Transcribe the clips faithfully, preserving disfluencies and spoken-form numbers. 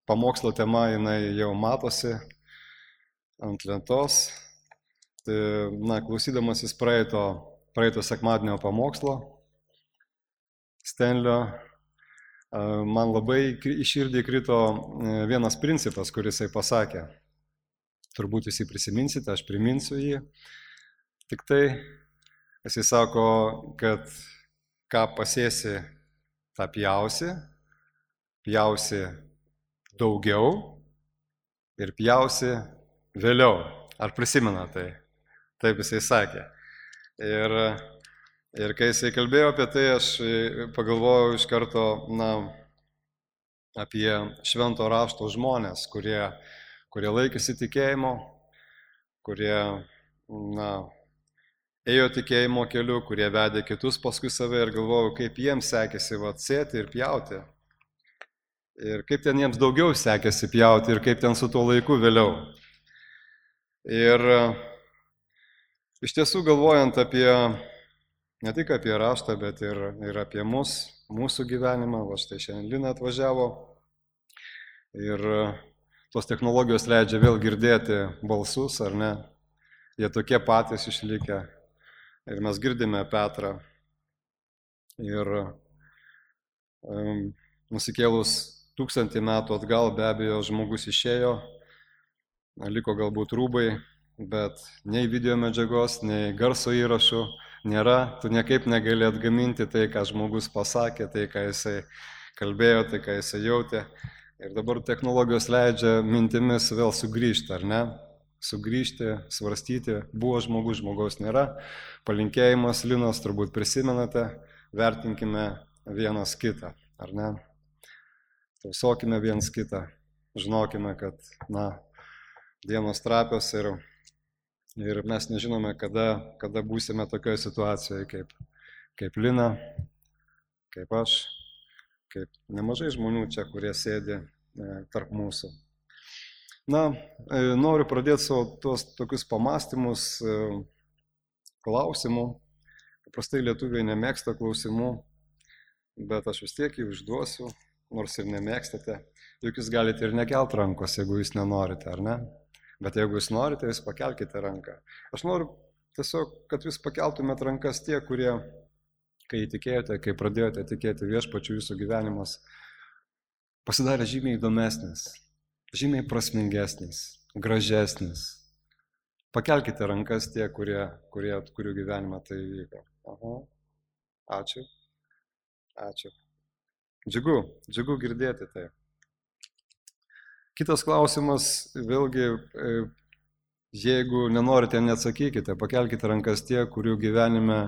pamokslo tema jinai jau matosi ant lentos. Tai, na, klausydamasis praeito, praeito sekmadienio pamokslo Stenlio, man labai į širdį krito vienas principas, kuris jisai pasakė. Turbūt jūs jį prisiminsite, aš priminsiu jį. Tik tai jisai sako, kad ką pasėsi, tą pjausi, pjausi daugiau ir pjausi vėliau. Ar prisimena tai? Taip jisai sakė. Ir, ir kai jisai kalbėjo apie tai, aš pagalvojau iš karto, na, apie švento rašto žmonės, kurie, kurie laikėsi tikėjimo, kurie, na, ėjo tikėjimo keliu, kurie vedė kitus paskui save ir galvojau, kaip jiems sekėsi vat, sėti ir pjauti. Ir kaip ten jiems daugiau sekėsi pjauti ir kaip ten su tuo laiku vėliau. Ir iš tiesų galvojant apie, ne tik apie raštą, bet ir, ir apie mus, mūsų gyvenimą, va štai šiandien Lina atvažiavo ir tos technologijos leidžia vėl girdėti balsus, ar ne, jie tokie patys išlikę ir mes girdime Petrą ir um, nusikėlus tūkstantį metų atgal be abejo žmogus išėjo, liko galbūt rūbai, bet nei video medžiagos, nei garso įrašų nėra, tu niekaip negali atgaminti tai, ką žmogus pasakė, tai, ką jisai kalbėjo, tai, ką jisai jautė. Ir dabar technologijos leidžia mintimis vėl sugrįžti, ar ne? Sugrįžti, svarstyti, buvo žmogus, žmogaus nėra. Palinkėjimas Linos turbūt prisimenate, vertinkime vienas kitą, ar ne? Tausokime viens kitą, žinokime, kad, na, dienos trapios ir, ir mes nežinome, kada, kada būsime tokioje situacijoje kaip, kaip Lina, kaip aš, kaip nemažai žmonių čia, kurie sėdi e, tarp mūsų. Na, e, noriu pradėti savo tuos tokius pamastymus e, klausimų. Paprastai lietuviai nemėgsta klausimų, bet aš vis tiek jį užduosiu, nors ir nemėgstate. Juk jūs galite ir nekelt rankos, jeigu jūs nenorite, ar ne? Bet jeigu jūs norite, jūs pakelkite ranką. Aš noriu tiesiog, kad jūs pakeltumėt rankas tie, kurie, kai įtikėjote, kai pradėjote tikėti viešpačiu, jūsų gyvenimas pasidarė žymiai įdomesnis, žymiai prasmingesnis, gražesnis. Pakelkite rankas tie, kurie, kurie, kurių gyvenimą tai įvyko. Aha. Ačiū. Ačiū. Džiugu, džiugu girdėti tai. Kitas klausimas, vėlgi, jeigu nenorite, neatsakykite, pakelkite rankas tie, kurių gyvenime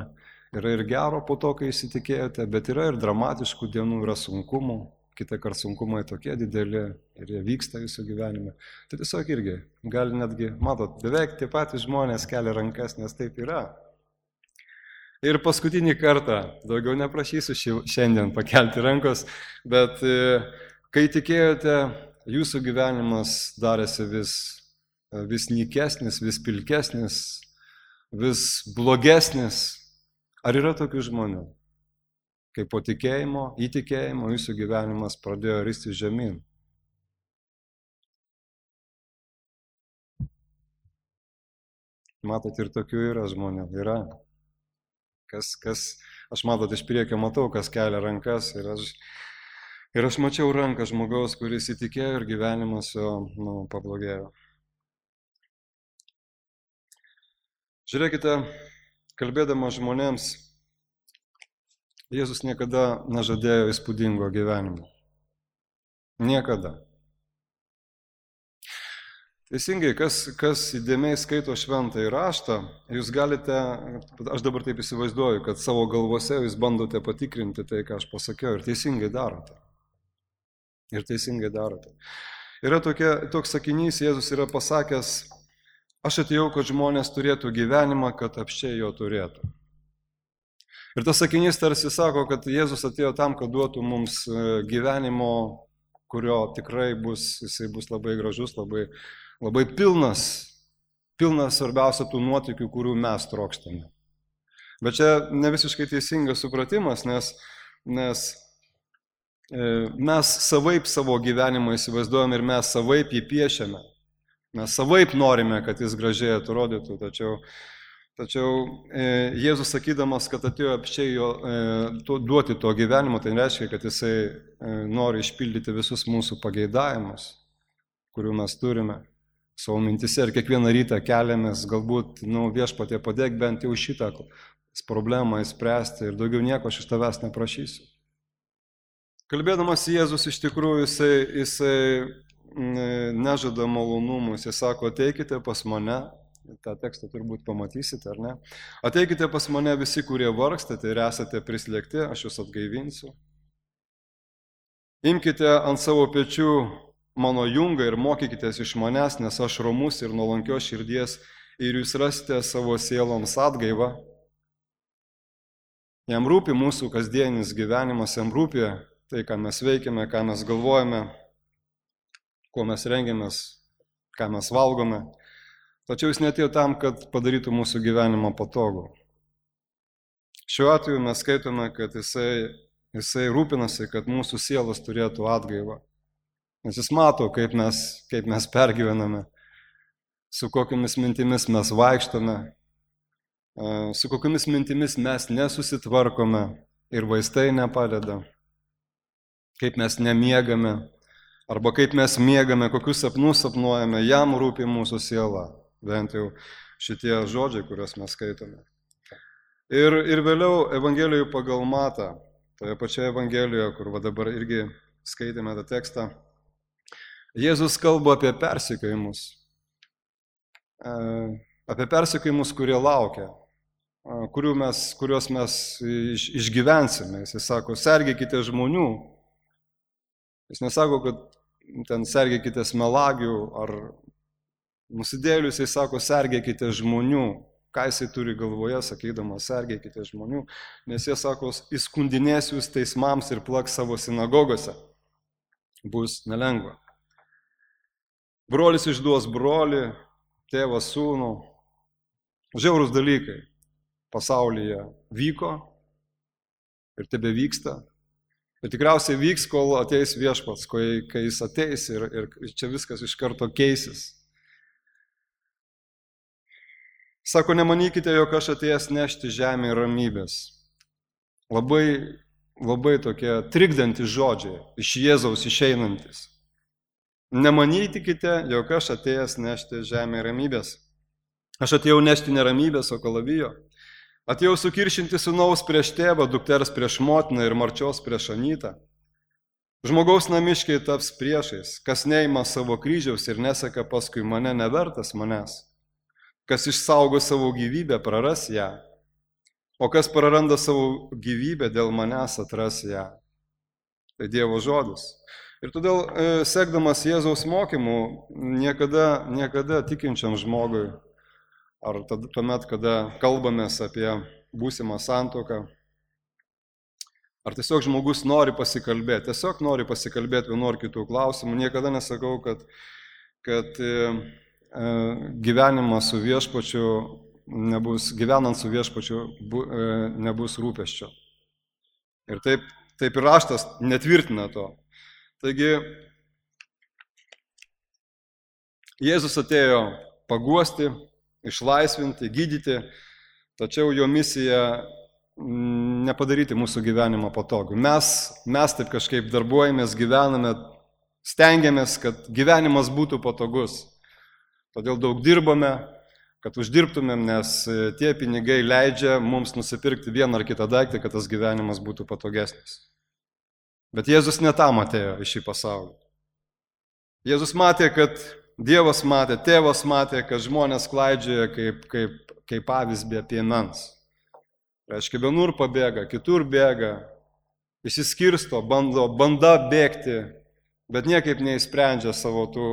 yra ir gero po to, kai įsitikėjote, bet yra ir dramatiškų dienų, yra sunkumų, kitą kartą sunkumai tokie dideli ir jie vyksta jūsų gyvenime. Tai tiesiog irgi, gali netgi, matot, beveik tie patys žmonės kelia rankas, nes taip yra. Ir paskutinį kartą, daugiau neprašysiu šiandien pakelti rankos, bet kai tikėjote, jūsų gyvenimas darėsi vis, vis nykesnis, vis pilkesnis, vis blogesnis. Ar yra tokių žmonių? Kai po tikėjimo, įtikėjimo jūsų gyvenimas pradėjo ristis žemyn. Matot, ir tokių yra žmonių, yra. Kas, kas, aš matot, iš priekio matau, kas kelia rankas ir aš, ir aš mačiau ranką žmogaus, kuris įtikėjo ir gyvenimas jo, nu, pablogėjo. Žiūrėkite, kalbėdamas žmonėms, Jėzus niekada nežadėjo įspūdingo gyvenimo. Niekada. Teisingai, kas, kas įdėmiai skaito šventąjį raštą, jūs galite, aš dabar taip įsivaizduoju, kad savo galvose jūs bandote patikrinti tai, ką aš pasakiau, ir teisingai darote. Ir teisingai darote. Yra tokia, toks sakinys, Jėzus yra pasakęs, aš atėjau, kad žmonės turėtų gyvenimą, kad apsčiai jo turėtų. Ir tas sakinys tarsi sako, kad Jėzus atėjo tam, kad duotų mums gyvenimo, kurio tikrai bus, jisai bus labai gražus, labai, labai pilnas, pilnas svarbiausia tų nuotykių, kurių mes trokštame. Bet čia ne visiškai teisingas supratimas, nes, nes mes savaip savo gyvenimą įsivaizduojame ir mes savaip jį piešiame. Mes savaip norime, kad jis gražiai atrodytų, tačiau, tačiau e, Jėzus sakydamas, kad atėjo apščiai jo e, to, duoti to gyvenimo, tai reiškia, kad jisai e, nori išpildyti visus mūsų pageidavimus, kurių mes turime savo mintise ir kiekvieną rytą keliamės, galbūt nu, viešpatie padėk bent jau šitą problemą įspręsti ir daugiau nieko aš iš tavęs neprašysiu. Kalbėdamas Jėzus iš tikrųjų jisai, jisai nežada malonumų, jisai sako, ateikite pas mane, tą tekstą turbūt pamatysite, ar ne? Ateikite pas mane visi, kurie vargstate ir esate prislėgti, aš jūs atgaivinsiu. Imkite ant savo pečių mano jungą ir mokykitės iš manęs, nes aš romus ir nuolankios širdies ir jūs rasite savo sieloms atgaivą. Jam rūpi mūsų kasdienis gyvenimas, jam rūpi tai, ką mes veikiame, ką mes galvojame, kuo mes rengiamės, ką mes valgome. Tačiau jis neatėjo tam, kad padarytų mūsų gyvenimą patogų. Šiuo atveju mes skaitome, kad jisai, jisai rūpinasi, kad mūsų sielos turėtų atgaivą. Nes jis mato, kaip mes, kaip mes pergyvename, su kokiamis mintimis mes vaikštame, su kokiamis mintimis mes nesusitvarkome ir vaistai nepadeda, kaip mes nemiegame, arba kaip mes miegame, kokius sapnus sapnuojame, jam rūpi mūsų siela, bent jau šitie žodžiai, kuriuos mes skaitome. Ir, ir vėliau Evangelijoje pagal Matą, toje pačioje Evangelijoje, kur va dabar irgi skaitėme tą tekstą, Jėzus kalba apie persekiojimus, apie persekiojimus, kurie laukia, mes, kuriuos mes iš, išgyvensime. Jis sako, sergėkite žmonių. Jis nesako, kad ten sergėkite melagių ar nusidėlių, jis sako, sergėkite žmonių. Ką jisai turi galvoje, sakydamas, sergėkite žmonių, nes jie sako, įskundinės jūs teismams ir plaks savo sinagogose. Bus nelengva. Brolis išduos brolį, tėvas sūnų. Žiaurūs dalykai pasaulyje vyko ir tebe vyksta. Ir tikriausiai vyks, kol ateis viešpats, kai jis ateis ir, ir čia viskas iš karto keisis. Sako, nemanykite, jog aš atėjęs nešti žemę ramybės. Labai, labai tokie trikdantys žodžiai iš Jėzaus išeinantis. Nemanykite, jog aš atėjęs nešti žemę ramybės. Aš atėjau nešti neramybės, o kalavijo. Atėjau sukiršinti sūnaus prieš tėvą, dukters prieš motiną ir marčios prieš anytą. Žmogaus namiškiai taps priešais, kas neima savo kryžiaus ir neseka paskui mane, nevertas manęs. Kas išsaugo savo gyvybę, praras ją, o kas praranda savo gyvybę dėl manęs, atras ją. Tai Dievo žodis. Ir todėl, sekdamas Jėzaus mokymų, niekada, niekada tikinčiam žmogui, ar tuomet, kada kalbamės apie būsimą santuoką, ar tiesiog žmogus nori pasikalbėti, tiesiog nori pasikalbėti vienu ar kitų klausimų, niekada nesakau, kad, kad gyvenimas su viešpačiu nebus, gyvenant su viešpačiu nebus rūpesčio. Ir taip, taip ir raštas netvirtina to. Taigi, Jėzus atėjo paguosti, išlaisvinti, gydyti, tačiau jo misija nepadaryti mūsų gyvenimą patogų. Mes, mes taip kažkaip darbuojamės, gyvename, stengiamės, kad gyvenimas būtų patogus. Todėl daug dirbame, kad uždirbtumėm, nes tie pinigai leidžia mums nusipirkti vieną ar kitą daiktą, kad tas gyvenimas būtų patogesnis. Bet Jėzus ne tam atėjo į šį pasaulį. Jėzus matė, kad Dievas matė, tėvas matė, kad žmonės klaidžioja kaip, kaip, kaip avis be piemens. Reiškia, vienur pabėga, kitur bėga, išsiskirsto, bando, banda bėgti, bet niekaip neįsprendžia savo tų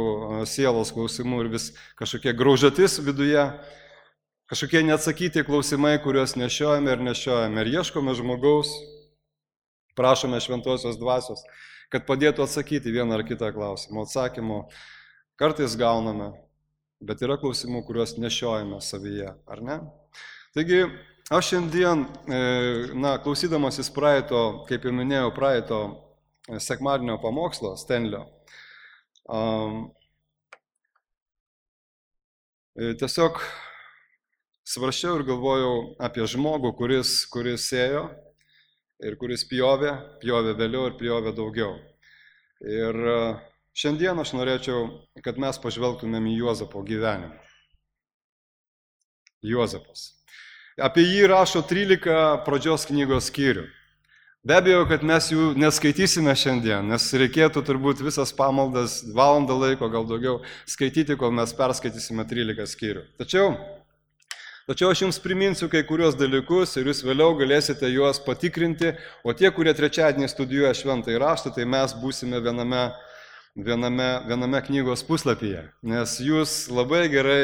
sielos klausimų ir vis kažkokie graužatis viduje, kažkokie neatsakyti klausimai, kuriuos nešiojame ir nešiojame. Ir ieškome žmogaus, prašome šventosios dvasios, kad padėtų atsakyti vieną ar kitą klausimą. Atsakymų kartais gauname, bet yra klausimų, kuriuos nešiojame savyje, ar ne? Taigi, aš šiandien, na, klausydamasis praeito, kaip ir minėjau, praeito sekmadienio pamokslo Stenlio. Um, tiesiog svarsčiau ir galvojau apie žmogų, kuris, kuris sėjo ir kuris pjovė, pjovė vėliau ir pjovė daugiau. Ir šiandien aš norėčiau, kad mes pažvelgtumėm į Juozapo gyvenimą. Juozapas. Apie jį rašo trylika pradžios knygos skyrių. Be abejo, kad mes jų neskaitysime šiandien, nes reikėtų turbūt visas pamaldas valandą laiko, gal daugiau, skaityti, kol mes perskaitysime trylika skyrių. Tačiau, tačiau aš jums priminsiu kai kurios dalykus ir jūs vėliau galėsite juos patikrinti, o tie, kurie trečiadienį studijuoja šventąjį raštą, tai mes būsime viename, viename, viename knygos puslapyje, nes jūs labai gerai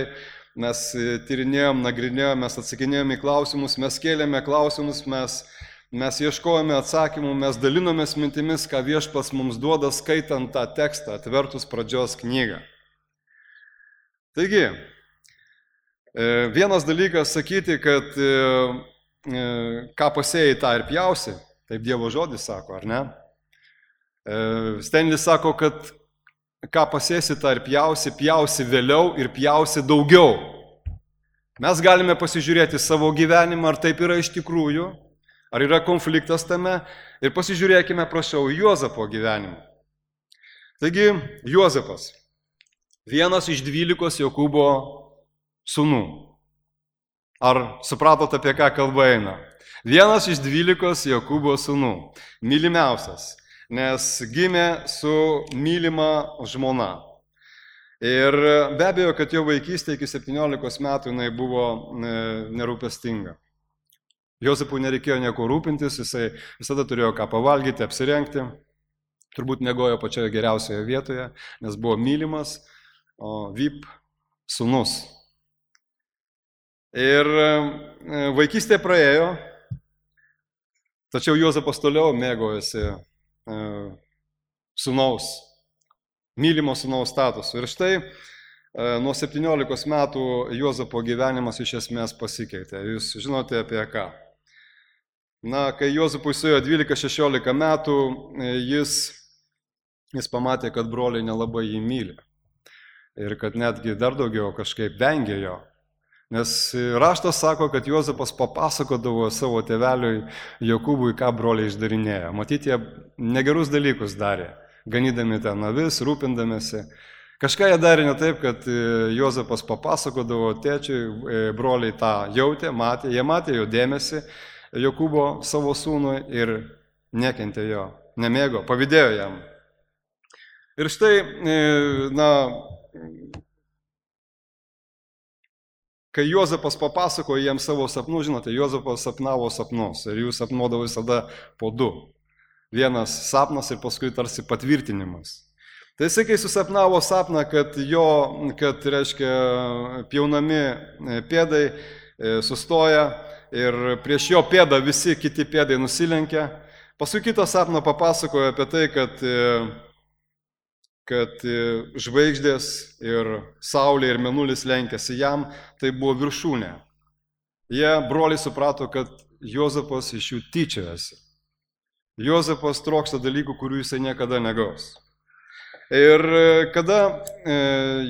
mes tyrinėjom, nagrinėjom, mes atsakinėjom į klausimus, mes kėlėme klausimus, mes Mes ieškojame atsakymų, mes dalinomės mintimis, ką Viešpats mums duoda skaitant tą tekstą, atvertus pradžios knygą. Taigi, vienas dalykas sakyti, kad ką pasėjai, tą ir pjausi, taip Dievo žodis sako, ar ne? Stenlis sako, kad ką pasėsi, tą ir pjausi, pjausi vėliau ir pjausi daugiau. Mes galime pasižiūrėti savo gyvenimą, ar taip yra iš tikrųjų, ar yra konfliktas tame, ir pasižiūrėkime, prašau, Juozapo gyvenimą. Taigi, Juozapas, vienas iš dvylikos Jokūbo sūnų. Ar supratot, apie ką kalba eina? Vienas iš dvylikos Jokūbo sūnų, mylimiausias, nes gimė su mylima žmona. Ir be abejo, kad jo vaikystė iki septyniolikos metų jinai buvo nerūpestinga. Juozapui nereikėjo nieko rūpintis, jisai visada turėjo ką pavalgyti, apsirengti, turbūt miegojo pačioje geriausioje vietoje, nes buvo mylimas, o V I P sūnus. Ir vaikystė praėjo, tačiau Juozapas toliau mėgojasi sūnaus, mylimo sūnaus statusu. Ir štai nuo septyniolikos metų Juozapo gyvenimas iš esmės pasikeitė. Jūs žinote apie ką? Na, kai Juozapui suėjo dvylika šešiolika metų, jis, jis pamatė, kad broliai nelabai jį myli. Ir kad netgi dar daugiau kažkaip vengė jo. Nes raštas sako, kad Juozapas papasakodavo savo tėveliui Jokūbui, ką broliai išdarinėjo. Matyti, jie negerus dalykus darė, ganydami ten avis, rūpindamėsi. Kažką jie darė ne taip, kad Juozapas papasakodavo tėčiui, broliai tą jautė, matė, jie matė jo dėmesį, Jokūbo savo sūnui ir nekentė jo, nemėgo, pavydėjo jam. Ir štai, na, kai Juozapas papasakojo jiems savo sapnų, žinote, Juozapas sapnavo sapnus ir jų sapnuodavo visada po du. Vienas sapnas ir paskui tarsi patvirtinimas. Tai jisai, kai susapnavo sapną, kad jo, kad, reiškia, pjaunami pėdai sustoja, ir prieš jo pėdą visi kiti pėdai nusilenkia. Paskui kitą sapną papasakojo apie tai, kad, kad žvaigždės ir saulė ir mėnulis lenkėsi jam, tai buvo viršūnė. Jie, broliai, suprato, kad Juozapas iš jų tyčiojasi. Juozapas trokšta dalykų, kurių jisai niekada negaus. Ir kada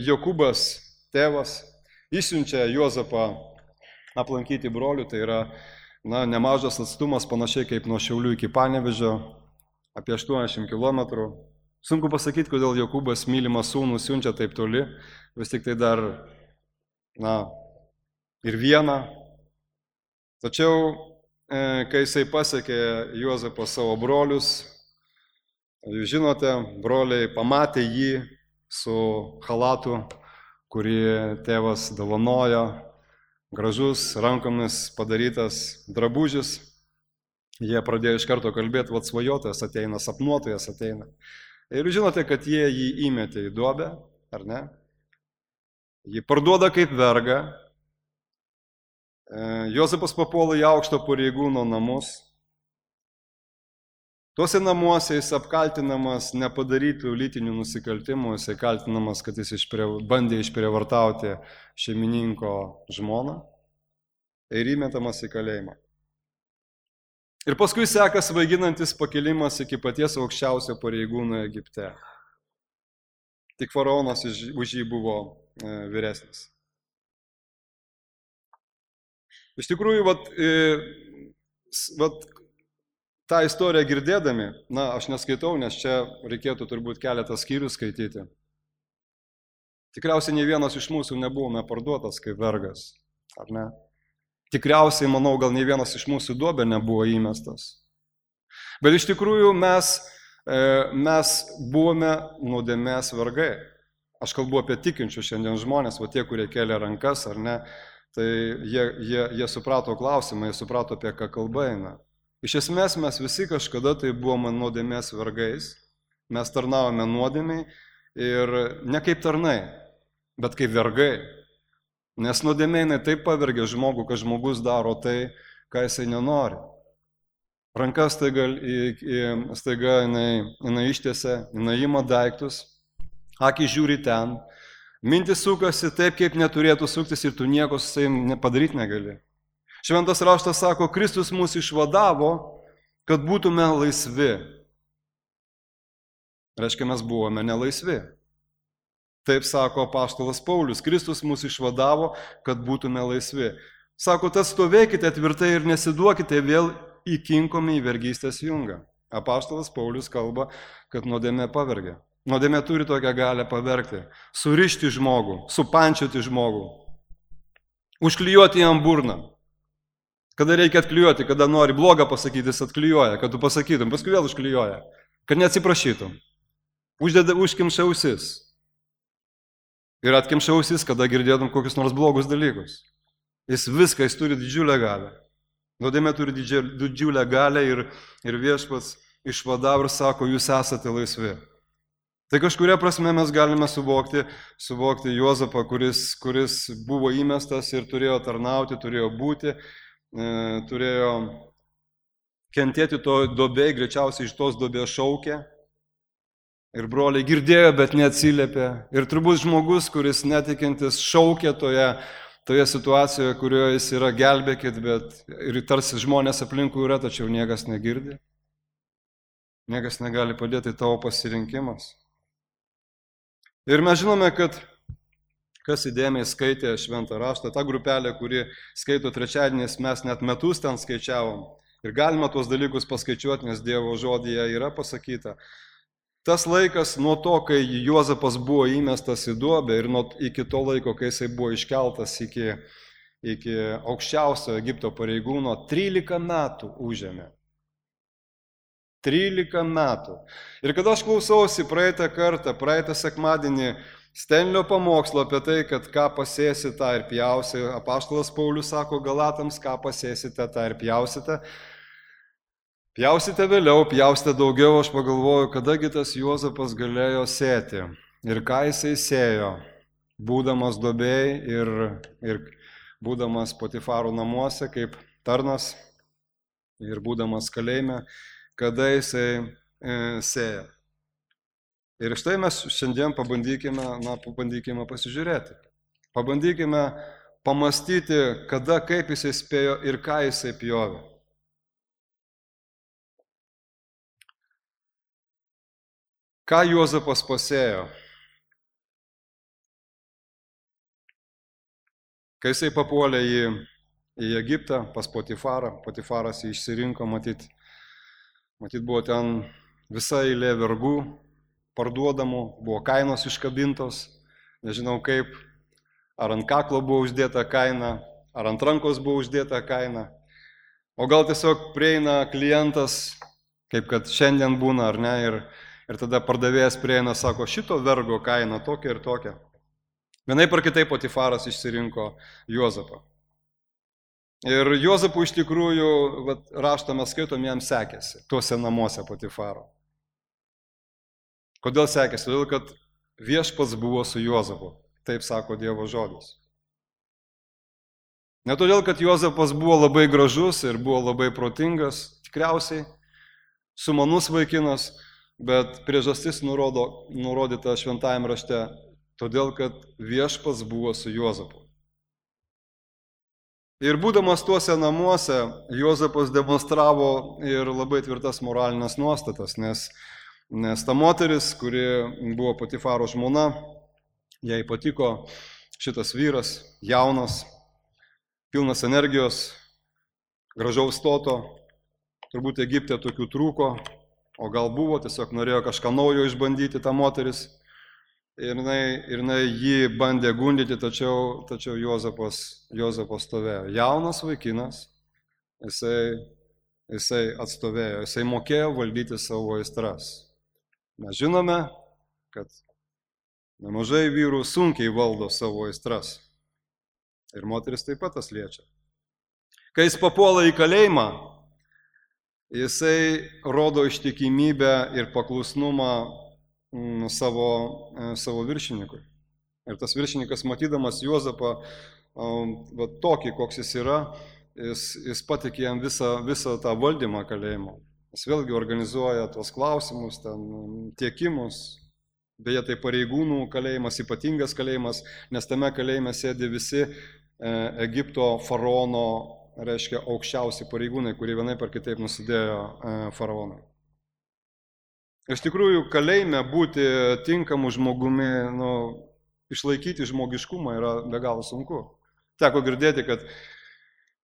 Jokūbas, tėvas, išsiunčia Juozapą aplankyti brolių, tai yra na, nemažas atstumas, panašiai kaip nuo Šiaulių iki Panevėžio, apie aštuoniasdešimt kilometrų. Sunku pasakyti, kodėl Jokūbas mylimą sūnų siunčia taip toli, vis tik tai dar, na, ir vieną. Tačiau, e, kai jisai pasiekė Juozapą savo brolius, jūs žinote, broliai pamatė jį su chalatu, kurį tėvas dovanojo, gražus, rankomis padarytas drabužis. Jie pradėjo iš karto kalbėti, vat svajotojas ateina, sapnuotojas ateina. Ir žinote, kad jie jį įmetė į duobę, ar ne? Jį parduoda kaip vergą. Juozapas papuola į aukšto pareigūno namus. Tuose namuose jis apkaltinamas nepadarytų lytinių nusikaltimų, jis kaltinamas, kad jis išprie, bandė išprievartauti šeimininko žmoną ir įmetamas į kalėjimą. Ir paskui seka svaiginantis pakilimas iki paties aukščiausio pareigūno Egipte. Tik faraonas už jį buvo vyresnis. Iš tikrųjų, vat, vat, tą istoriją girdėdami, na, aš neskaitau, nes čia reikėtų turbūt keletą skyrių skaityti. Tikriausiai ne vienas iš mūsų nebuvome parduotas kaip vergas, ar ne? Tikriausiai, manau, gal ne vienas iš mūsų duobę nebuvo įmestas. Bet iš tikrųjų mes, mes buvome nuodėmės vergai. Aš kalbu apie tikinčius šiandien žmonės, o tie, kurie kelia rankas, ar ne, tai jie, jie, jie suprato klausimą, jie suprato, apie ką kalba eina. Iš esmės mes visi kažkada tai buvome nuodėmės vergais, mes tarnavome nuodėmiai ir ne kaip tarnai, bet kaip vergai. Nes nuodėmė taip pavergia žmogų, kad žmogus daro tai, ką jisai nenori. Ranka staiga, staiga jinai, jinai ištiesia, jinai ima daiktus, akį žiūri ten, mintis sukasi taip, kaip neturėtų suktis ir tu nieko su savim padaryti negali. Šventas raštas sako, Kristus mus išvadavo, kad būtume laisvi. Reiškia, mes buvome nelaisvi. Taip sako apaštalas Paulius, Kristus mus išvadavo, kad būtume laisvi. Sako, tad stovėkite tvirtai ir nesiduokite vėl įkinkomi į vergystės jungą. Apaštalas Paulius kalba, kad nuodėmė pavergia. Nuodėmė turi tokią galę pavergti, surišti žmogų, supančioti žmogų, užklijuoti jam burną. Kada reikia atklijuoti, kada nori blogą pasakyti, jis atklijuoja, kad tu pasakytum, paskui vėl užklijuoja, kad neatsiprašytum. Uždeda, užkimša ausis. Ir atkimša ausis, kada girdėtum kokius nors blogus dalykus. Jis viską, jis turi didžiulę galę. Nuodėmė turi didžiulę galę ir, ir viešpats išvadavo ir sako, jūs esate laisvi. Tai kažkuria prasme mes galime suvokti, suvokti Juozapą, kuris, kuris buvo įmestas ir turėjo tarnauti, turėjo būti, e, turėjo kentėti to duobėj, greičiausiai iš tos duobės šaukė. Ir broliai girdėjo, bet neatsiliepė. Ir turbūt žmogus, kuris netikintis, šaukė toje, toje situacijoje, kurioje jis yra, gelbėkit, bet ir tarsi žmonės aplinkui yra, tačiau niekas negirdi. Niekas negali padėti tavo pasirinkimas. Ir mes žinome, kad kas įdėmiai skaitė šventą raštą, ta grupelė, kuri skaito trečiadieniais, mes net metus ten skaičiavom. Ir galima tuos dalykus paskaičiuoti, nes Dievo žodyje yra pasakyta. Tas laikas nuo to, kai Juozapas buvo įmestas į duobę ir nuo iki to laiko, kai jisai buvo iškeltas iki, iki aukščiausio Egipto pareigūno, trylika metų užėmė. trylika metų. Ir kada aš klausausi praeitą kartą, praeitą sekmadienį Stenlio pamokslo apie tai, kad ką pasėsi, tą ir pjausi, apaštalas Paulius sako Galatams, ką pasėsite, tą ir pjausite. Pjausite vėliau, pjausite daugiau, aš pagalvoju, kadagi tas Juozapas galėjo sėti ir ką jisai sėjo, būdamas duobėj ir, ir būdamas Potifaro namuose kaip tarnas ir būdamas kalėjime, kada jisai e, sėjo. Ir štai mes šiandien pabandykime, na, pabandykime pasižiūrėti. Pabandykime pamastyti, kada, kaip jisai spėjo ir ką jisai pjovė. Ką Juozapas pasėjo? Kai jisai papuolė į, į Egiptą pas Potifarą, Potifaras jį išsirinko, matyt, matyt buvo ten visa eilė vergų, parduodamų, buvo kainos iškabintos, nežinau kaip, ar ant kaklo buvo uždėta kaina, ar ant rankos buvo uždėta kaina, o gal tiesiog prieina klientas, kaip kad šiandien būna, ar ne, ir Ir tada pardavėjas prieina, sako, šito vergo kaina tokia ir tokia. Vienaip ar kitaip Potifaras išsirinko Juozapą. Ir Juozapų iš tikrųjų, vat, raštą mes skaitom, jam sekėsi, tuose namuose Potifaro. Kodėl sekėsi? Todėl, kad viešpats buvo su Juozapu. Taip sako Dievo žodis. Ne todėl, kad Juozapas buvo labai gražus ir buvo labai protingas, tikriausiai, sumanus vaikinas, bet priežastis nurodo, nurodyta šventajame rašte, todėl, kad viešpats buvo su Juozapu. Ir būdamas tuose namuose, Juozapas demonstravo ir labai tvirtas moralinės nuostatas, nes, nes ta moteris, kuri buvo Potifaro žmona, jai patiko šitas vyras, jaunas, pilnas energijos, gražaus stoto, turbūt Egipte tokių trūko, o gal buvo, tiesiog norėjo kažką naujo išbandyti tą moteris. Ir jinai, ir jinai jį bandė gundyti, tačiau, tačiau Juozapas, Juozapas stovėjo. Jaunas vaikinas, jisai, jisai atstovėjo, jisai mokėjo valdyti savo aistras. Mes žinome, kad nemažai vyrų sunkiai valdo savo aistras. Ir moteris taip pat tas liečia. Kai jis papuola į kalėjimą, jisai rodo ištikimybę ir paklusnumą savo, savo viršininkui. Ir tas viršininkas, matydamas Juozapą va, tokį, koks jis yra, jis, jis patikė jam visą, visą tą valdymą kalėjimo. Jis vėlgi organizuoja tuos klausimus, ten, tiekimus. Beje, tai pareigūnų kalėjimas, ypatingas kalėjimas, nes tame kalėjime sėdi visi e, Egipto faraono, reiškia, aukščiausi pareigūnai, kurie vienaip ar kitaip nusidėjo e, faraonui. Iš tikrųjų, kalėjime būti tinkamu žmogumi, nu, išlaikyti žmogiškumą yra be galo sunku. Teko girdėti, kad,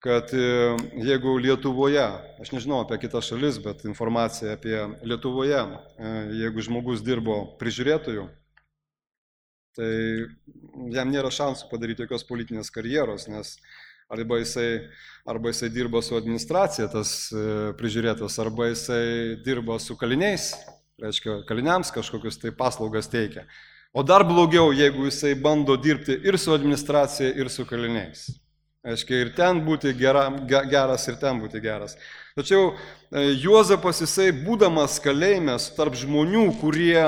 kad jeigu Lietuvoje, aš nežinau apie kitas šalis, bet informacija apie Lietuvoje, jeigu žmogus dirbo prižiūrėtojų, tai jam nėra šansų padaryti jokios politinės karjeros, nes arba jisai, arba jisai dirba su administracija, tas prižiūrėtas, arba jisai dirba su kaliniais, reiškia, kaliniams kažkokius tai paslaugas teikia. O dar blogiau, jeigu jisai bando dirbti ir su administracija, ir su kaliniais. Reiškia, ir ten būti gera, geras, ir ten būti geras. Tačiau Juozapas, jisai būdamas kalėjime tarp žmonių, kurie,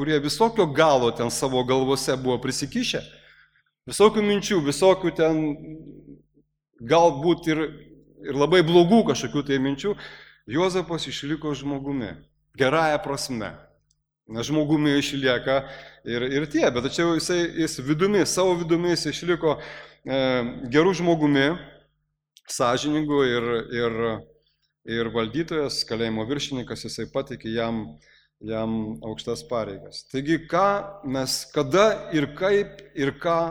kurie visokio galo ten savo galvose buvo prisikišę, visokių minčių, visokių ten galbūt ir, ir labai blogų kažkokių tai minčių, Juozapas išliko žmogumi. Gerąją prasme. Nes žmogumi išlieka ir, ir tie, bet tačiau jisai, jis vidumi, savo vidumi jis išliko e, gerų žmogumi, sąžiningu ir, ir, ir valdytojas, kalėjimo viršininkas, jisai patikė jam, jam aukštas pareigas. Taigi, ką mes, kada ir kaip ir ką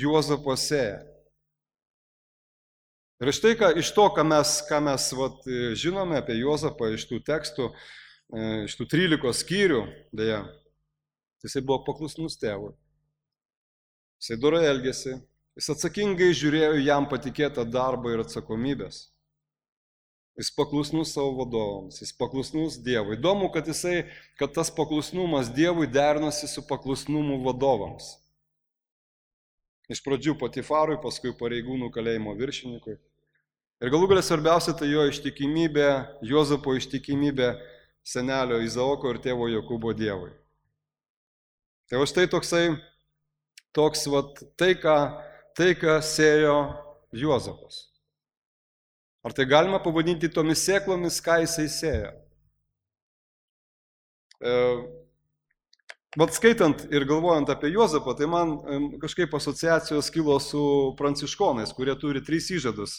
Juozapas sėja. Ir štai ką, iš to, ką mes, ką mes vat, žinome apie Juozapą, iš tų tekstų, iš tų trylikos skyrių, dėja, jisai buvo paklusnus tėvui. Jisai dorai elgėsi, jis atsakingai žiūrėjo jam patikėtą darbą ir atsakomybės. Jis paklusnus savo vadovams, jis paklusnus Dievui. Įdomu, kad, jisai, kad tas paklusnumas Dievui derinosi su paklusnumu vadovams. Iš pradžių Potifarui, paskui pareigūnų kalėjimo viršininkui. Ir galų galia svarbiausia tai jo ištikimybė, Juozapo ištikimybė senelio Izaoko ir tėvo Jokūbo Dievui. Tai va štai toksai, toks vat, tai, ką, tai, ką sėjo Juozapas. Ar tai galima pavadinti tomis sėklomis, ką jisai sėjo? E, vat skaitant ir galvojant apie Juozapą, tai man kažkaip asociacijos kilo su pranciškonais, kurie turi tris įžadus.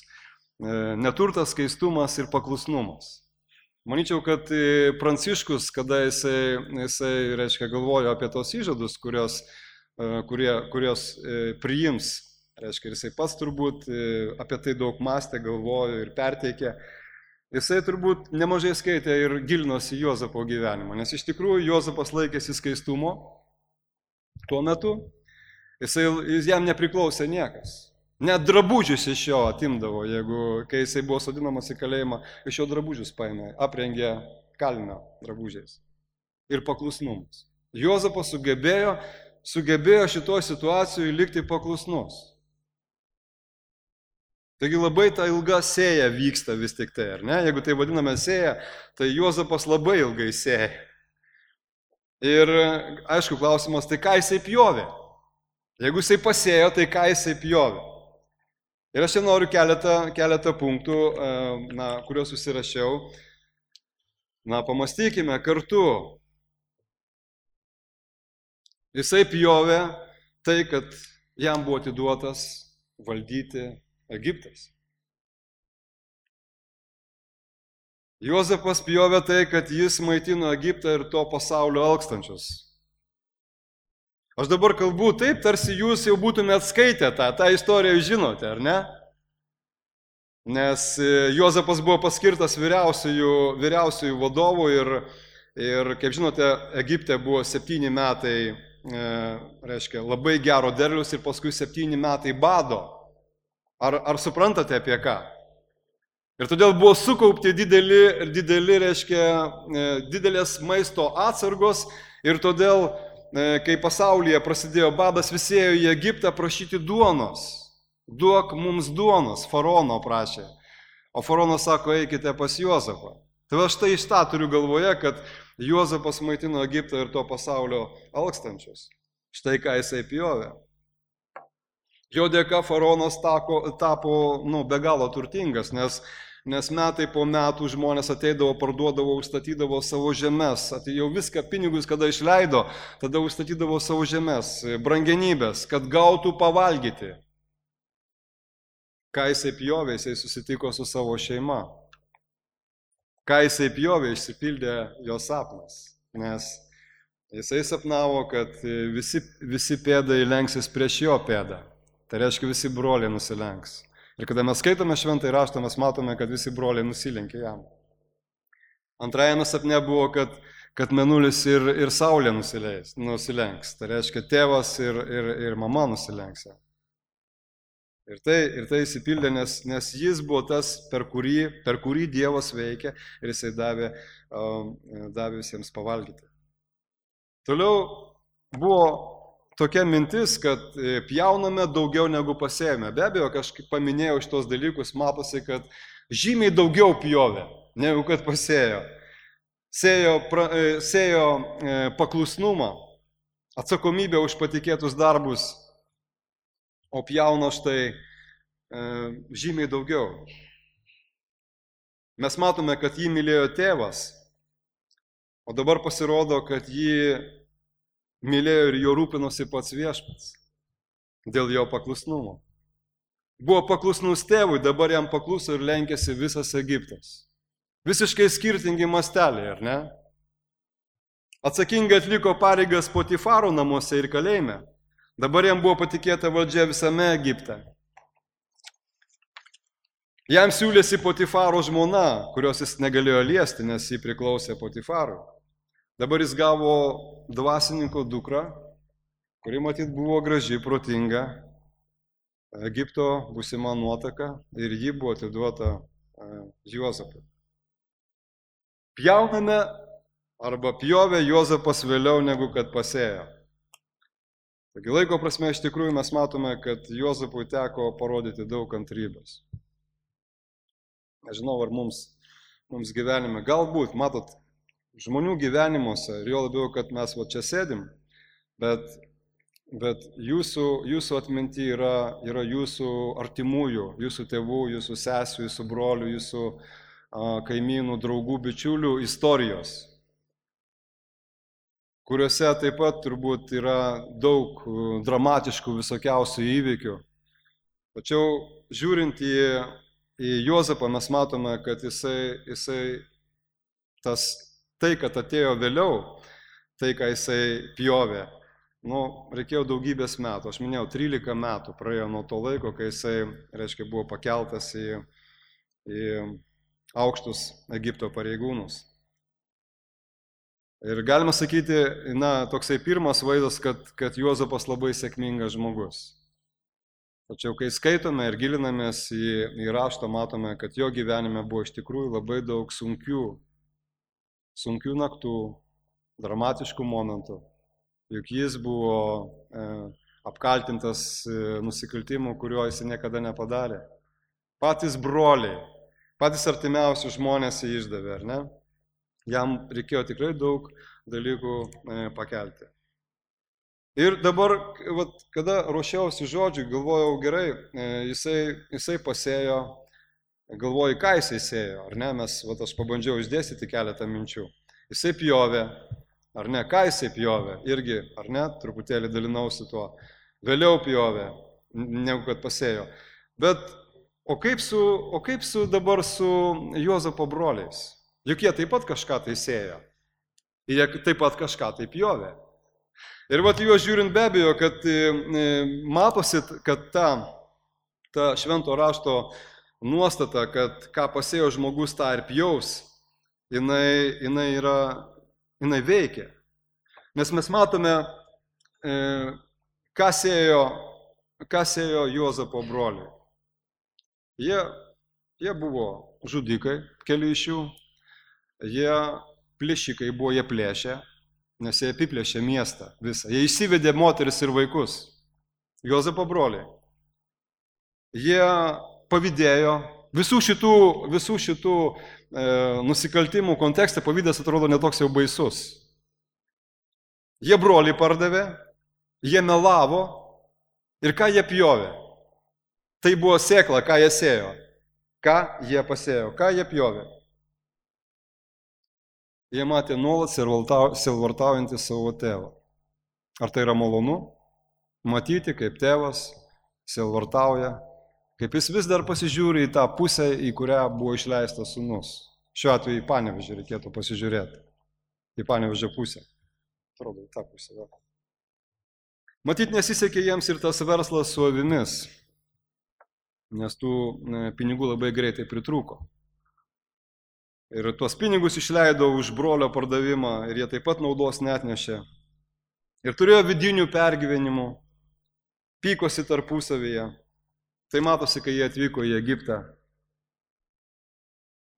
E, neturtas, skaistumas ir paklusnumas. Manyčiau, kad Pranciškus, kada jisai, jisai reiškia, galvojo apie tos įžadus, kurios, kurie, kurios priims, reiškia, jisai pats turbūt apie tai daug mąstė, galvojo ir perteikė, jisai turbūt nemažai skaitė ir gilinosi Juozapo gyvenimą, nes iš tikrųjų Juozapas laikėsi skaistumo tuo metu, jisai, jam nepriklausė niekas. Net drabužius iš jo atimdavo, jeigu, kai jisai buvo sodinamas į kalėjimą, iš jo drabužius paėmė, aprengė kalinio drabužiais. Ir paklusnumas. Juozapas sugebėjo, sugebėjo šitoje situacijoje likti paklusnus. Taigi labai ta ilga sėja vyksta vis tik tai, ar ne? Jeigu tai vadiname sėja, tai Juozapas labai ilgai sėja. Ir aišku, klausimas, tai ką jisai pjovė? Jeigu jisai pasėjo, tai ką jisai pjovė? Ir aš čia noriu keletą, keletą punktų, na, kuriuos susirašiau. Na, pamastykime kartu. Jisai pjovė tai, kad jam buvo atiduotas valdyti Egiptas. Juozapas pjovė tai, kad jis maitino Egiptą ir to pasaulio alkstančius. Aš dabar kalbu taip, tarsi jūs jau būtumėt skaitę tą, tą istoriją žinote, ar ne? Nes Juozapas buvo paskirtas vyriausiųjų, vyriausiųjų vadovų ir, ir, kaip žinote, Egipte buvo septyni metai, e, reiškia, labai gero derlius ir paskui septyni metai bado. Ar, ar suprantate apie ką? Ir todėl buvo sukaupti dideli, dideli, reiškia, didelės maisto atsargos ir todėl, kai pasaulyje prasidėjo badas, visi ėjo į Egiptą prašyti duonos. Duok mums duonos, faraono prašė. O faraonas sako, eikite pas Juozapą. Tai aš tai iš tą turiu galvoje, kad Juozapas maitino Egiptą ir to pasaulio alkstančius. Štai ką jisai pjovė. Jo dėka faraonas tapo, tapo nu, be galo turtingas, nes Nes metai po metų žmonės ateidavo, parduodavo, užstatydavo savo žemes. Jau viską, pinigus, kada išleido, tada užstatydavo savo žemes, brangenybės, kad gautų pavalgyti. Ką jisai pjovė, jisai susitiko su savo šeima. Ką jisai pjovė, išsipildė jo sapnas. Nes jisai sapnavo, kad visi, visi pėdai lenksis prieš jo pėdą. Tai reiškia, visi broliai nusilenks. Ir kada mes skaitome šventąjį raštą, mes matome, kad visi broliai nusilenkė jam. Antrajame sapne buvo, kad, kad mėnulis ir, ir saulė nusileis, nusilenks. Tai reiškia, tėvas ir, ir, ir mama nusilenks. Ir tai, ir tai įsipildė, nes, nes jis buvo tas, per kurį, per kurį Dievas veikia ir jisai davė, davė visiems pavalgyti. Toliau buvo tokia mintis, kad pjauname daugiau negu pasėjome. Be abejo, kažkaip paminėjau šitos dalykus, matosi, kad žymiai daugiau pjovė, negu kad pasėjo. Sėjo, pra, sėjo paklusnumą, atsakomybę už patikėtus darbus, o pjauna štai žymiai daugiau. Mes matome, kad jį mylėjo tėvas, o dabar pasirodo, kad jį mylėjo ir jo rūpinosi pats viešpats dėl jo paklusnumo. Buvo paklusnus tėvui, dabar jam pakluso ir lenkėsi visas Egiptas. Visiškai skirtingi masteliai, ar ne? Atsakingai atliko pareigas Potifaro namuose ir kalėjime. Dabar jam buvo patikėta valdžia visame Egipte. Jam siūlėsi Potifaro žmona, kurios jis negalėjo liesti, nes jį priklausė Potifarui. Dabar jis gavo dvasininko dukrą, kuri matyt buvo graži, protinga, Egipto būsima nuotaka ir ji buvo atiduota Juozapui. Pjauname arba pjovė Juozapas vėliau negu kad pasėjo. Taigi laiko prasme iš tikrųjų mes matome, kad Juozapui teko parodyti daug kantrybės. Nežinau, ar mums, mums gyvenime, galbūt, matot, žmonių gyvenimuose, ir jo labiau, kad mes va čia sėdim, bet, bet jūsų, jūsų atminty yra, yra jūsų artimųjų, jūsų tėvų, jūsų sesių, jūsų brolių, jūsų a, kaimynų, draugų, bičiulių istorijos, kuriuose taip pat turbūt yra daug dramatiškų visokiausių įvykių. Tačiau žiūrint į, į Juozapą, mes matome, kad jisai, jisai tas tai, kad atėjo vėliau, tai, ką jisai pjovė, nu, reikėjo daugybės metų. Aš minėjau, trylika metų praėjo nuo to laiko, kai jisai, reiškia, buvo pakeltas į, į aukštus Egipto pareigūnus. Ir galima sakyti, na, toksai pirmas vaizdas, kad, kad Juozapas labai sėkmingas žmogus. Tačiau, kai skaitome ir gilinamės į, į raštą, matome, kad jo gyvenime buvo iš tikrųjų labai daug sunkių sunkių naktų, dramatiškų momentų, juk jis buvo e, apkaltintas e, nusikaltimų, kurio jis niekada nepadarė. Patys broliai, patys artimiausi žmonės jį išdavė, ar ne? Jam reikėjo tikrai daug dalykų e, pakelti. Ir dabar, vat, kada ruošiausi žodžiui, galvojau gerai, e, jisai, jisai pasėjo, galvoju, ką jisai sėjo, ar ne, mes, vat, aš pabandžiau išdėstyti keletą minčių. Jisai pjovė, ar ne, ką jisai pjovė, irgi, ar ne, truputėlį dalinausi tuo. Vėliau pjovė, negu kad pasėjo. Bet O kaip su, o kaip su dabar su Juozapo broliais? Juk jie taip pat kažką tai sėjo. Jie taip pat kažką tai pjovė. Ir vat juos žiūrint be abejo, kad matosi, kad ta, ta švento rašto nuostata, kad ką pasėjo žmogus, tą ir pjaus, jinai, jinai, yra, jinai veikia. Nes mes matome, ką sėjo, ką sėjo Juozapo broliai. Jie, jie buvo žudikai, keli iš jų, jie plėšikai buvo, jie plėšė, nes jie apiplėšė miestą visą. Jie išsivedė moteris ir vaikus, Juozapo broliai. Jie pavydėjo, visų šitų, visų šitų e, nusikaltimų kontekste pavydas atrodo netoks jau baisus. Jie broliai pardavė, jie melavo ir ką jie pjovė. Tai buvo sėkla, ką jie sėjo, ką jie pasėjo, ką jie pjovė. Jie matė nuolat sielvartaujantį savo tėvą. Ar tai yra malonu? Matyti, kaip tėvas sielvartauja, kaip jis vis dar pasižiūri į tą pusę, į kurią buvo išleistas sūnus. Šiuo atveju į Panevėžį reikėtų pasižiūrėti. Į Panevėžio pusę. Atrodo, į tą pusę. Va. Matyt, nesisekė jiems ir tas verslas su avimis, nes tų pinigų labai greitai pritrūko. Ir tuos pinigus išleido už brolio pardavimą ir jie taip pat naudos neatnešė. Ir turėjo vidinių pergyvenimų, pykosi tarpusavyje. Tai matosi, kai jie atvyko į Egiptą.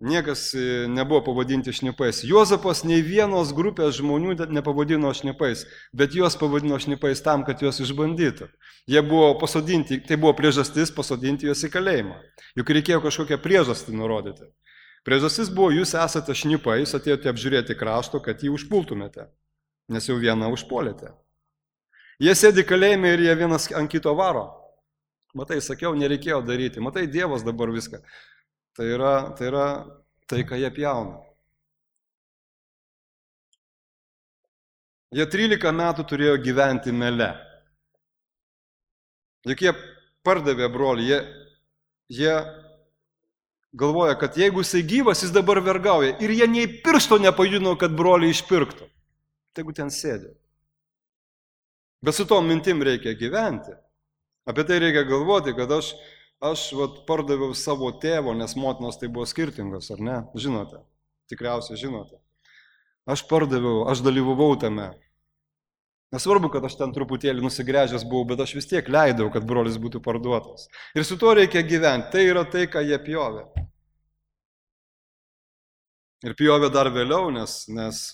Niekas nebuvo pavadinti šnipais. Juozapas nei vienos grupės žmonių nepavadino šnipais, bet juos pavadino šnipais tam, kad juos išbandytų. Jie buvo pasodinti, tai buvo priežastis pasodinti juos į kalėjimą. Juk reikėjo kažkokią priežastį nurodyti. Priežastis buvo, jūs esate šnipai, jūs atėjote apžiūrėti krašto, kad jį užpultumėte, nes jau vieną užpuolėte. Jie sėdi kalėjime ir jie vienas ant kito varo. Matai, sakiau, nereikėjo daryti. Matai, Dievas dabar viską. Tai yra, tai yra tai, ką jie pjauna. Jie trylika metų turėjo gyventi mele. Juk jie pardavė brolį, jie, jie galvoja, kad jeigu jisai gyvas, jis dabar vergauja. Ir jie nei piršto nepajudino, kad brolį išpirktų. Tegu ten sėdė. Bet su tom mintim reikia gyventi. Apie tai reikia galvoti, kad aš Aš vat, pardaviau savo tėvo, nes motinos tai buvo skirtingos, ar ne? Žinote, tikriausiai žinote. Aš pardaviau, aš dalyvavau tame. Nesvarbu, kad aš ten truputėlį nusigręžęs buvau, bet aš vis tiek leidau, kad brolis būtų parduotas. Ir su tuo reikia gyventi. Tai yra tai, ką jie pjovė. Ir pjovė dar vėliau, nes, nes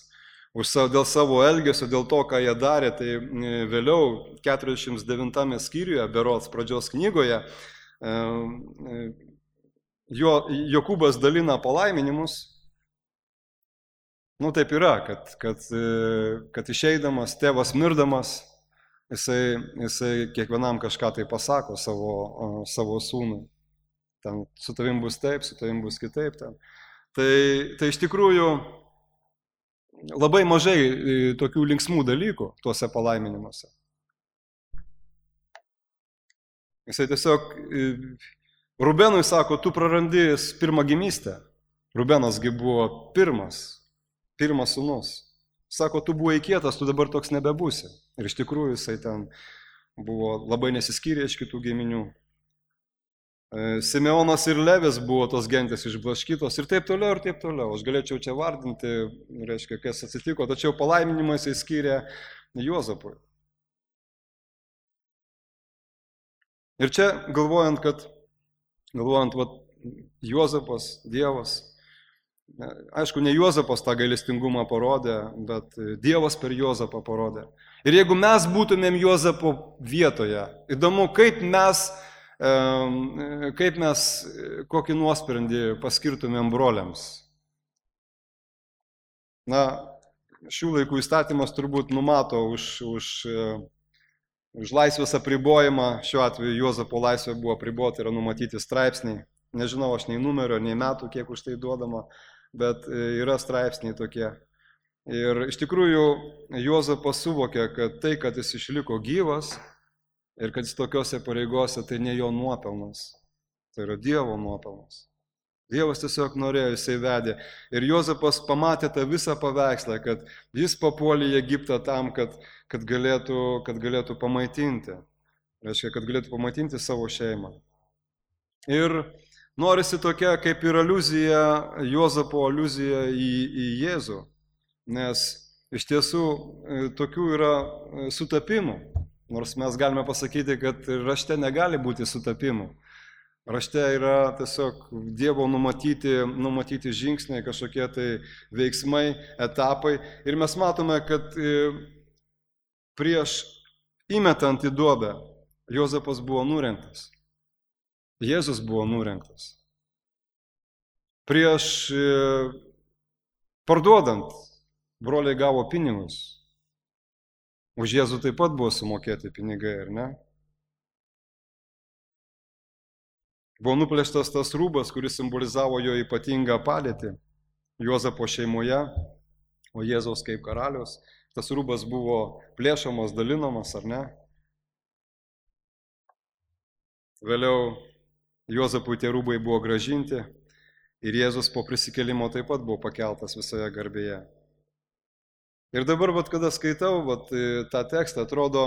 dėl savo elgesio, dėl to, ką jie darė, tai vėliau keturiasdešimt devintame skyriuje, berods pradžios knygoje, Jo, Jokūbas dalina palaiminimus. Nu taip yra, kad, kad, kad išeidamas, tėvas mirdamas, jisai, jisai kiekvienam kažką tai pasako savo, savo sūnui. Ten su tavim bus taip, su tavim bus kitaip. Ten. Tai, tai iš tikrųjų labai mažai tokių linksmų dalykų tuose palaiminimuose. Jisai tiesiog, Rubenui sako, tu prarandi pirmagimystę. Rubenasgi buvo pirmas, pirmas sūnus. Sako, tu buvai kietas, tu dabar toks nebebūsi. Ir iš tikrųjų jisai ten buvo labai nesiskyrė iš kitų giminių. Simeonas ir Levis buvo tos gentys išblaškytos ir taip toliau ir taip toliau. Aš galėčiau čia vardinti, reiškia, kas atsitiko, tačiau palaiminimą jisai skyrė Juozapui. Ir čia galvojant, kad, galvojant, vat, Juozapas, Dievas, aišku, ne Juozapas tą gailestingumą parodė, bet Dievas per Juozapą parodė. Ir jeigu mes būtumėm Juozapo vietoje, įdomu, kaip mes, kaip mes kokį nuosprendį paskirtumėm broliams. Na, šių laikų įstatymas turbūt numato už... už Už laisvės apribojimą, šiuo atveju Juozapo laisvė buvo apribota, yra numatyti straipsniai. Nežinau, aš nei numerio, nei metų, kiek už tai duodama, bet yra straipsniai tokie. Ir iš tikrųjų Juozapas suvokė, kad tai, kad jis išliko gyvas ir kad jis tokiose pareigose, tai ne jo nuopelnas. Tai yra Dievo nuopelnas. Dievas tiesiog norėjo, jisai vedė. Ir Juozapas pamatė tą visą paveikslą, kad jis papuolė į Egiptą tam, kad, kad, galėtų, kad galėtų pamaitinti. Reiškia, kad galėtų pamaitinti savo šeimą. Ir norisi tokia kaip ir aliuzija, Juozapo aliuzija į, į Jėzų. Nes iš tiesų tokių yra sutapimų. Nors mes galime pasakyti, kad rašte negali būti sutapimų. Rašte yra tiesiog Dievo numatyti, numatyti žingsniai, kažkokie tai veiksmai, etapai. Ir mes matome, kad prieš įmetant į duobę Juozapas buvo nurengtas. Jėzus buvo nurengtas. Prieš parduodant broliai gavo pinigus. Už Jėzų taip pat buvo sumokėti pinigai, ar ne? Buvo nuplėštas tas rūbas, kuris simbolizavo jo ypatingą padėtį Juozapo šeimoje, o Jėzaus kaip karalius. Tas rūbas buvo plėšomas, dalinamas, ar ne? Vėliau Juozapui tie rūbai buvo gražinti ir Jėzus po prisikėlimo taip pat buvo pakeltas visoje garbėje. Ir dabar, vat, kada skaitau vat, tą tekstą, atrodo,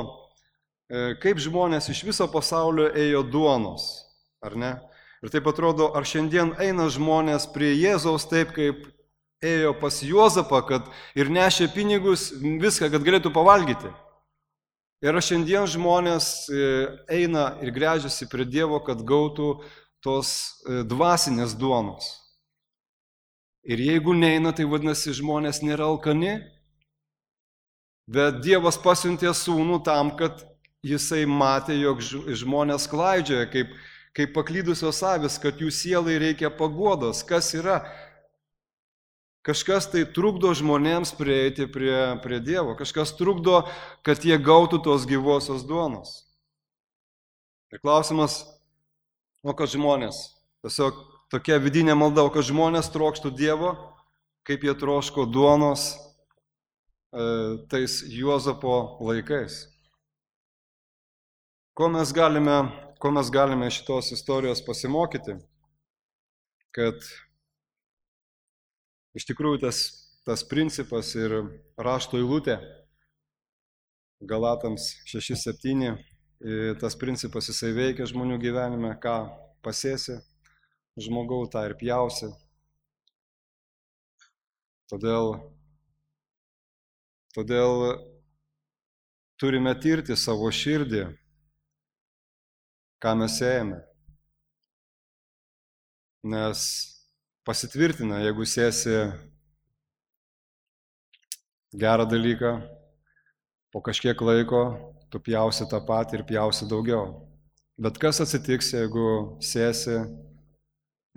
kaip žmonės iš viso pasaulio ėjo duonos. Ar ne? Ir taip atrodo, ar šiandien eina žmonės prie Jėzaus taip, kaip ėjo pas Juozapą, kad ir nešė pinigus, viską, kad galėtų pavalgyti. Ir ar šiandien žmonės eina ir gręžiasi prie Dievo, kad gautų tos dvasinės duonos. Ir jeigu neina, tai vadinasi, žmonės nėra alkani, bet Dievas pasiuntė sūnų tam, kad jisai matė, jog žmonės klaidžioja, kaip kaip paklydusios avis, kad jų sielai reikia paguodos. Kas yra? Kažkas tai trukdo žmonėms prieiti prie, prie Dievo. Kažkas trukdo, kad jie gautų tos gyvosios duonos. Ir klausimas, o kad žmonės, tiesiog tokia vidinė malda, o kad žmonės trokštų Dievo, kaip jie troško duonos e, tais Juozapo laikais. Ko mes galime Ko mes galime šitos istorijos pasimokyti, kad iš tikrųjų tas, tas principas ir rašto eilutė Galatams šeši septyni, tas principas jisai veikia žmonių gyvenime, ką pasėsi žmogau, tą ir pjausi. Todėl, todėl turime tirti savo širdį, ką mes ėjame. Nes pasitvirtina, jeigu sėsi gerą dalyką, po kažkiek laiko tu pjausi tą patį ir pjausi daugiau. Bet kas atsitiks, jeigu sėsi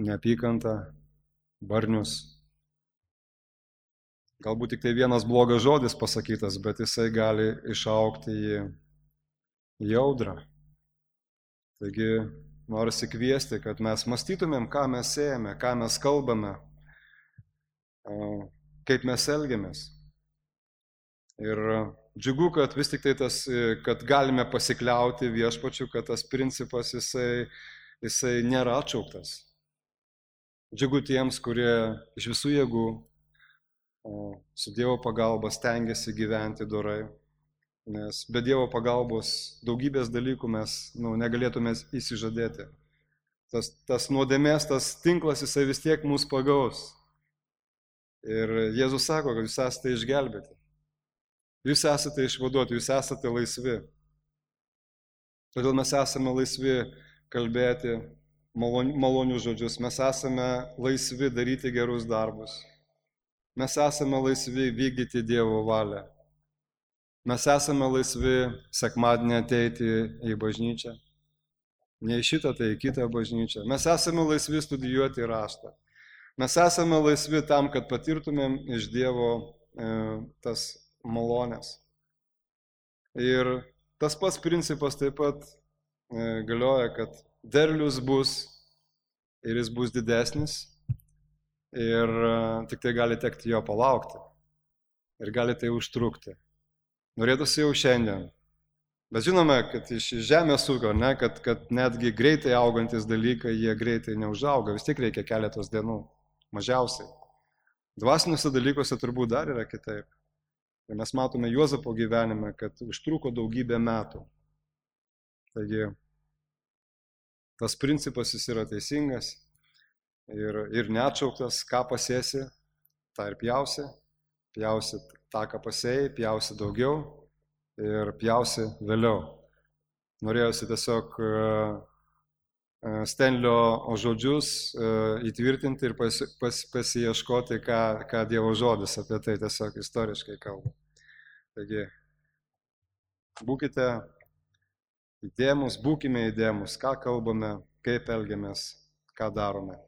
neapykantą, barnius? Galbūt tik tai vienas blogas žodis pasakytas, bet jisai gali išaugti į, į audrą. Taigi norisi kviesti, kad mes mąstytumėm, ką mes ėjame, ką mes kalbame, kaip mes elgiamės. Ir džiugu, kad vis tik tai tas, kad galime pasikliauti viešpačiu, kad tas principas jisai, jisai nėra atšauktas. Džiugu tiems, kurie iš visų jėgų su Dievo pagalba stengiasi gyventi dorai. Nes be Dievo pagalbos daugybės dalykų mes nu, negalėtume įsižadėti. Tas, tas nuodėmės, tas tinklas, jisai vis tiek mus pagaus. Ir Jėzus sako, kad jūs esate išgelbėti. Jūs esate išvaduoti, jūs esate laisvi. Todėl mes esame laisvi kalbėti malonius žodžius, mes esame laisvi daryti gerus darbus. Mes esame laisvi vykdyti Dievo valią. Mes esame laisvi sekmadienį ateiti į bažnyčią. Ne į šitą, tai į kitą bažnyčią. Mes esame laisvi studijuoti raštą. Mes esame laisvi tam, kad patirtumėm iš Dievo e, tas malonės. Ir tas pats principas taip pat e, galioja, kad derlius bus ir jis bus didesnis ir e, tik tai gali tekti jo palaukti ir gali tai užtrukti. Norėtųsi jau šiandien Bet žinome, kad iš žemės ūkio, ne, kad, kad netgi greitai augantis dalykai, jie greitai neužauga, vis tiek reikia keletos dienų, mažiausiai. Dvasiniuose dalykuose turbūt dar yra kitaip. Ir mes matome Juozapo gyvenime, kad užtruko daugybę metų. Taigi, tas principas jis yra teisingas ir, ir neatšauktas, ką pasėsi, tą ir pjausi, pjausi tą, ką pasėjai, pjausi daugiau ir pjausi vėliau. Norėjusi tiesiog Stenlio žodžius įtvirtinti ir pas, pas, pasiieškoti, ką, ką Dievo žodis apie tai tiesiog istoriškai kalba. Taigi, būkite įdėmus, būkime įdėmus, ką kalbame, kaip elgiamės, ką darome.